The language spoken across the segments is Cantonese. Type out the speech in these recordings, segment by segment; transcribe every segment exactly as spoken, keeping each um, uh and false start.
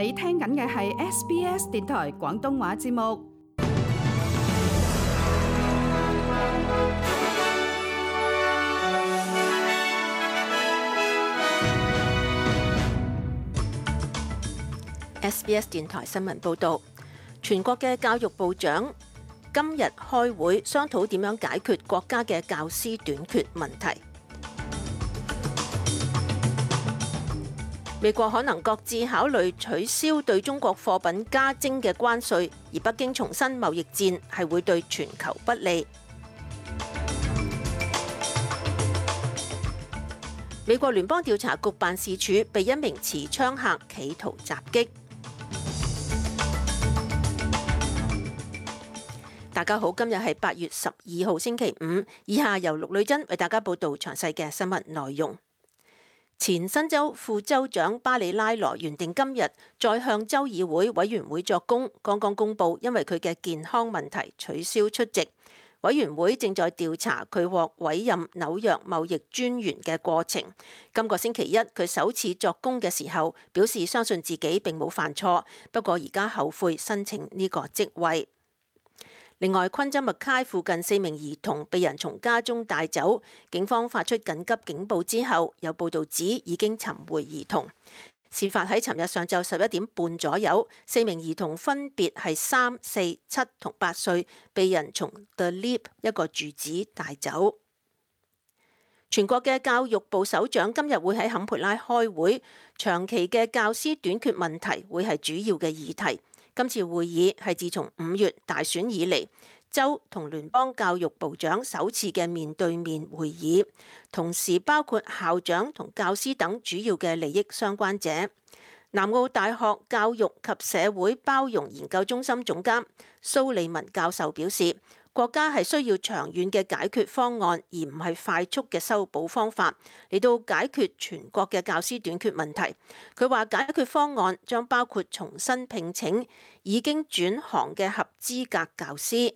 你聽緊嘅係 S B S 電台廣東話節目。S B S 電台新聞報導，全國嘅教育部長今日開會商討點樣解決國家嘅教師短缺問題。美國可能擱置考慮取消對中國貨品加徵嘅關稅，而北京重申貿易戰係會對全球不利。美國聯邦調查局辦事處被一名持槍客企圖襲擊。大家好，今日係八月十二號星期五，以下由陸女珍為大家報道詳細嘅新聞內容。前新州副州長巴里拉羅原定今日再向州議會委員會作供，剛剛公布因為佢嘅健康問題取消出席。委員會正在調查佢獲委任紐約貿易專員嘅過程。今個星期一佢首次作供嘅時候，表示相信自己並冇犯錯，不過而家後悔申請呢個職位。另外，昆州麥卡附近四名兒童被人從家中帶走，警方發出緊急警報之後，有報道指已經尋回兒童。事發喺尋日上晝十一點半左右，四名兒童分別係三、四、七同八歲，被人從 The Leap 一個住址帶走。全國嘅教育部首長今日會喺坎培拉開會，長期嘅教師短缺問題會係主要嘅議題。今次會議係自從五月大選以嚟，州同聯邦教育部長首次嘅面對面會議，同時包括校長同教師等主要嘅利益相關者。南澳大學教育及社會包容研究中心總監蘇利文教授表示，國家係需要長遠嘅解決方案，而唔係快速嘅修補方法嚟到解決全國嘅教師短缺問題。佢話解決方案將包括重新聘請已經轉行嘅合資格教師。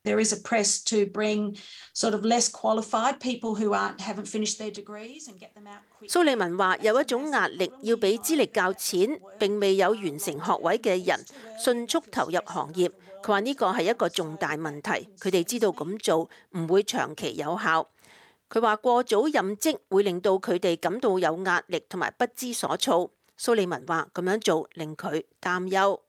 There is a press to bring sort of less qualified people who aren't haven't finished their degrees and get them out quickly. 蘇利文話有一種壓力，要俾資歷較淺並未有完成學位嘅人迅速投入行業。佢話呢個係一個重大問題，佢哋知道咁做唔會長期有效。佢話過早任職會令到佢哋感到有壓力同埋不知所措。蘇利文話咁樣做令佢擔憂。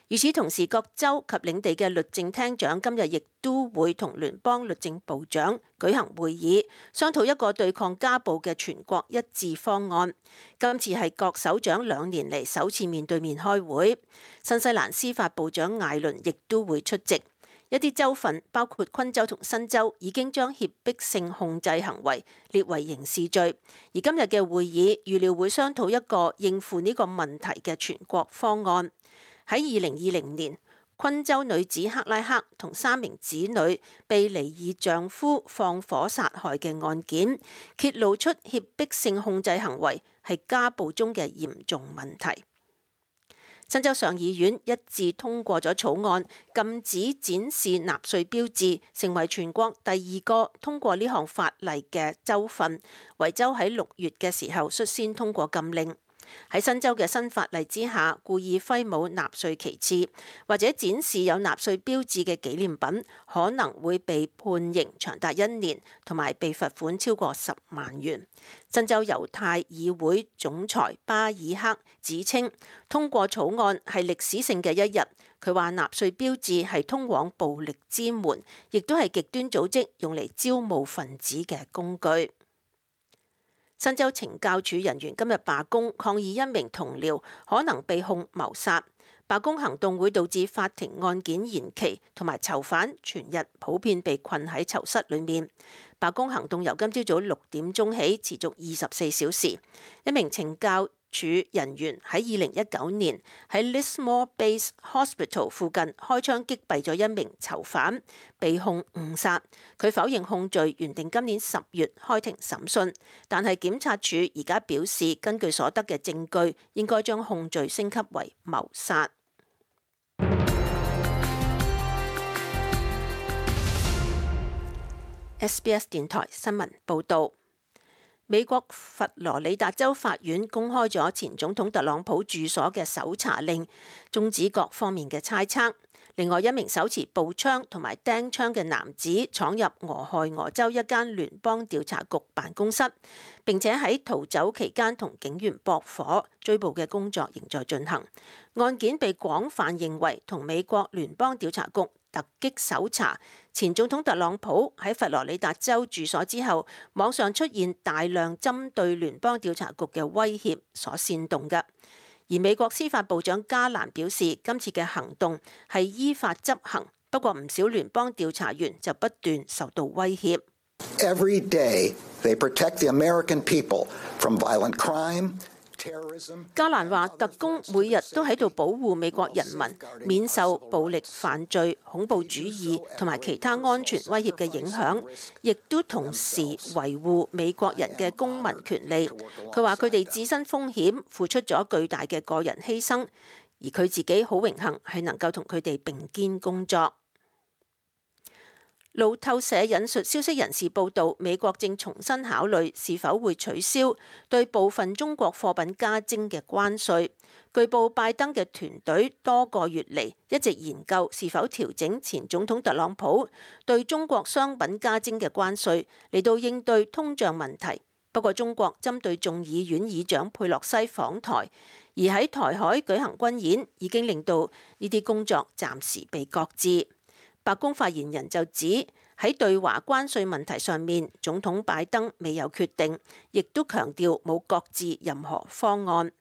與此同時，各州及領地嘅律政廳長今日亦都會同聯邦律政部長舉行會議，商討一個對抗家暴嘅全國一致方案。今次係各首長兩年嚟首次面對面開會。新西蘭司法部長艾倫亦都會出席。一啲州份包括昆州同新州已經將脅迫性控制行為列為刑事罪，而今日嘅會議預料會商討一個應付呢個問題嘅全國方案。喺二零二零年，昆州女子克拉克同三名子女被離異丈夫放火殺害嘅案件，揭露出脅迫性控制行為係家暴中嘅嚴重問題。新州上議院一致通過咗草案，禁止展示納粹標誌，成為全國第二個通過呢項法例嘅州份。維州喺六月嘅時候率先通過禁令。喺新州嘅新法例之下，故意揮舞納粹旗幟或者展示有納粹標誌嘅紀念品，可能會被判刑長達一年，同埋被罰款超過十萬元。新州猶太議會總裁巴爾克指稱，通過草案係歷史性嘅一日。佢話納粹標誌係通往暴力之門，亦都係極端組織用嚟招募分子嘅工具。新州懲教署人員今日罷工，抗議一名同僚可能被控謀殺。罷工行動會導致法庭案件延期，同埋囚犯全日普遍被困喺囚室裏面。罷工行動由今朝早六點鐘起，持續二十四小時。一名懲教署人員喺二零一九年喺 Lismore Base Hospital 附近開槍擊斃咗一名囚犯，被控誤殺。佢否認控罪，原定今年十月開庭審訊，但係檢察署而家表示，根據所得嘅證據，應該將控罪升級為謀殺。S B S 電台新聞報導。美國佛羅里達州法院公開咗前總統特朗普住所嘅搜查令，終止各方面嘅猜測。另外一名手持步槍同埋釘槍嘅男子闖入俄亥俄州一間聯邦調查局辦公室，並且喺逃走期間同警員駁火，追捕嘅工作仍在進行。案件被廣泛認為同美國聯邦調查局突擊搜查前總統特朗普喺佛羅里達州住所之後，網上出現大量針對聯邦調查局嘅威脅所煽動嘅。而美國司法部長加蘭表示，今次嘅行動係依法執行，不過唔少聯邦調查員就不斷受到威脅。Every day they protect the American people from violent crime. 加蘭話，特工每日都喺度保護美國人民免受暴力犯罪、恐怖主義同埋其他安全威脅嘅影響，亦都同時維護美國人嘅公民權利。佢話佢哋置身風險，付出咗巨大嘅個人犧牲，而佢自己好榮幸係能夠同佢哋並肩工作。路透社引述消息人士報道，美國正重新考慮是否會取消對部分中國貨品加徵嘅關稅。據報，拜登嘅團隊多個月嚟一直研究是否調整前總統特朗普對中國商品加徵嘅關稅，嚟到應對通脹問題。不過，中國針對眾議院議長佩洛西訪台，而喺台海舉行軍演，已經令到呢啲工作暫時被擱置。白宮發言人就指喺對華關稅問題上面，總統拜登未有決定，亦都強調冇擱置任何方案。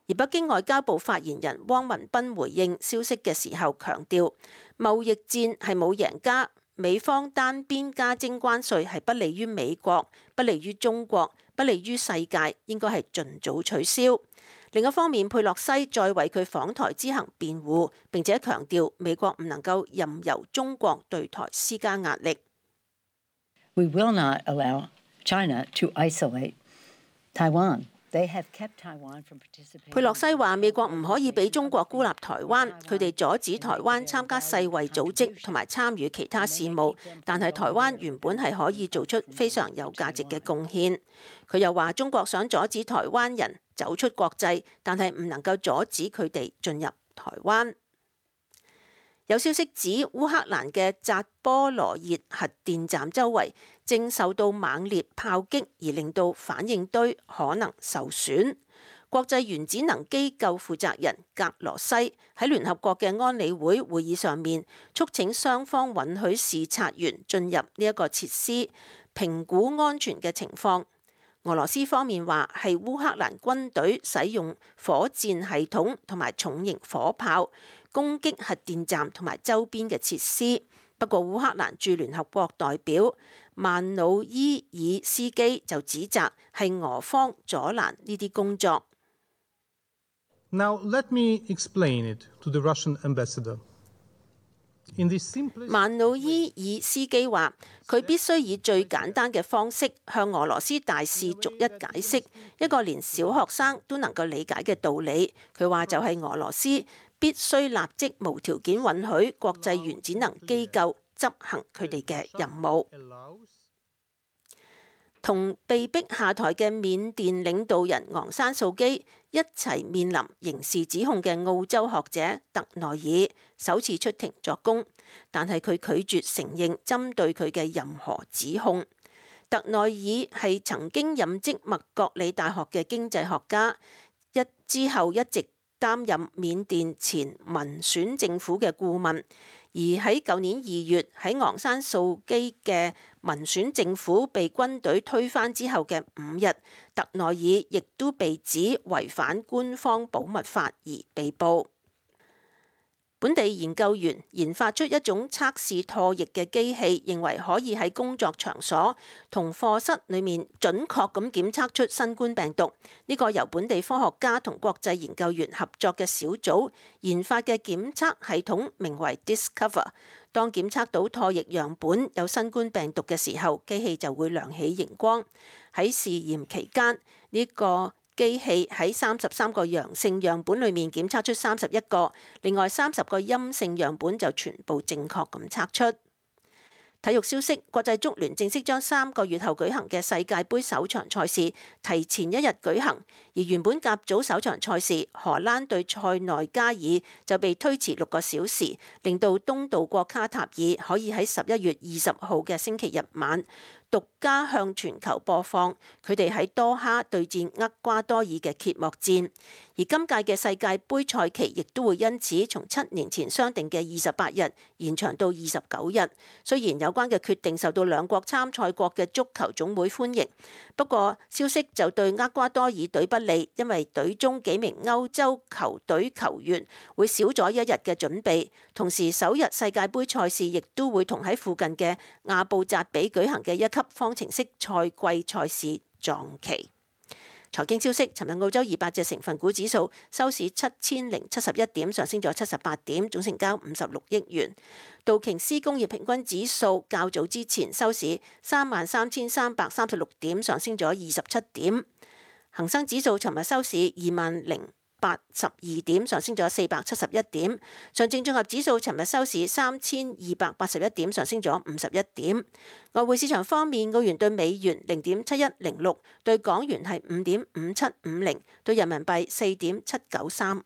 而北京外交部發言人汪文斌回應消息嘅時候強調，貿易戰係冇贏家，美方單邊加徵關稅係不利於美國、不利於中國、不利於世界，應該係盡早取消。另一方面，佩洛西再為佢訪台之行辯護，並且強調美國唔能夠任由中國對台施加壓力。We will not allow China to isolate Taiwan. They have kept Taiwan from participating. 佩洛西話：美國唔可以俾中國孤立台灣，佢哋阻止台灣參加世衛組織同埋參與其他事務，但係台灣原本係可以做出非常有價值嘅貢獻。佢又話：中國想阻止台灣人走出國際，但係唔能夠阻止佢哋進入台灣。有消息指，烏克蘭嘅扎波羅熱核電站周圍正受到猛烈炮擊，而令到反應堆可能受損。國際原子能機構負責人格羅西喺聯合國嘅安理會會議上面，促請雙方允許視察員進入呢一個設施，評估安全嘅情況。俄羅斯方面話係烏克蘭軍隊使用火箭系統同埋重型火炮攻擊核電站同埋周邊嘅設施。不過烏克蘭駐聯合國代表曼努伊爾斯基就指責係俄方阻攔呢啲工作。Now let me explain it to the Russian ambassador. 曼努伊爾斯基話：佢必須以最簡單嘅方式向俄羅斯大使逐一解釋一個連小學生都能夠理解嘅道理。佢話就係俄羅斯必須立即無條件允許國際原子能機構執行佢哋嘅任務。同被逼下台嘅緬甸領導人昂山素基一齊面臨刑事指控嘅澳洲學者特內爾首次出庭作供，但係佢拒絕承認針對佢嘅任何指控。特內爾係曾經任職麥覺里大學嘅經濟學家，一之後一直擔任緬甸前民選政府嘅顧問。而喺舊年二月喺昂山素基嘅民選政府被軍隊推翻之後嘅五日，特內爾亦都被指違反官方保密法而被捕。本地研究員研發出一種測試唾液嘅機器，認為可以喺工作場所同課室裏面準確咁檢測出新冠病毒。呢個由本地科學家同國際研究員合作嘅小組研發嘅檢測系統名為 Discover。當檢測到唾液樣本有新冠病毒嘅時候，機器就會亮起熒光。喺試驗期間，呢個機器喺三十三個陽性樣本裏面檢測出三十一個，另外三十個陰性樣本就全部正確咁測出。體育消息，國際足聯正式將三個月後舉行嘅世界盃首場賽事提前一日舉行，而原本甲組首場賽事荷蘭對塞內加爾就被推遲六個小時，令到東道國卡塔爾可以喺十一月二十號嘅星期日晚獨家向全球播放佢哋喺多哈對戰厄瓜多爾嘅揭幕戰。而今屆嘅世界盃賽期亦都會因此從七年前商定嘅二十八日延長到二十九日。雖然有關嘅決定受到兩國參賽國嘅足球總會歡迎，不過消息就對厄瓜多爾隊不利，因為隊中幾名歐洲球隊球員會少咗一日嘅準備，同時首日世界盃賽事亦都會同喺附近嘅亞布扎比舉行嘅一級方程式賽季賽事撞期。財經消息，尋日澳洲二百隻成分股指數收市七千零七十一點，上升咗七十八點，總成交五十六億元。道瓊斯工業平均指數較早之前收市三萬三千三百三十六點，上升咗二十七點。恒生指數尋日收市二萬零八十二點，上升咗四百七十一點。上證綜合指數尋日收市三千二百八十一點，上升咗五十一點。外匯市場方面，澳元對美元零點七一零六，對港元係五點五七五零，對人民幣四點七九三五。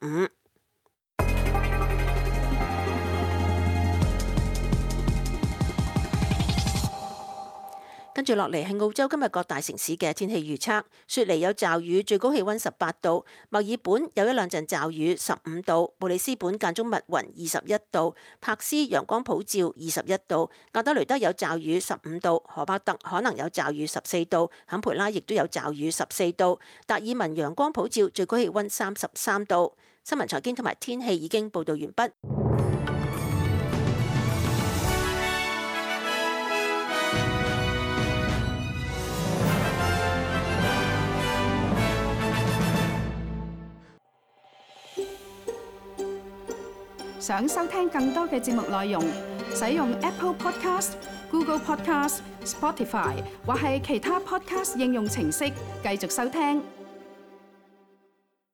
跟住落嚟係澳洲今日各大城市嘅天氣預測。雪梨有驟雨，最高氣溫十八度；墨爾本有一兩陣驟雨，十五度；布里斯本間中密雲，二十一度；柏斯陽光普照，二十一度；亞德雷德有驟雨，十五度；荷伯特可能有驟雨，十四度；坎培拉亦都有驟雨，十四度；達爾文陽光普照，最高氣溫三十三度。新聞財經同埋天氣已經報道完畢。想收聽更多嘅節目內容，使用 Apple Podcast、Google Podcast、Spotify 或係其他 Podcast 應用程式繼續收聽。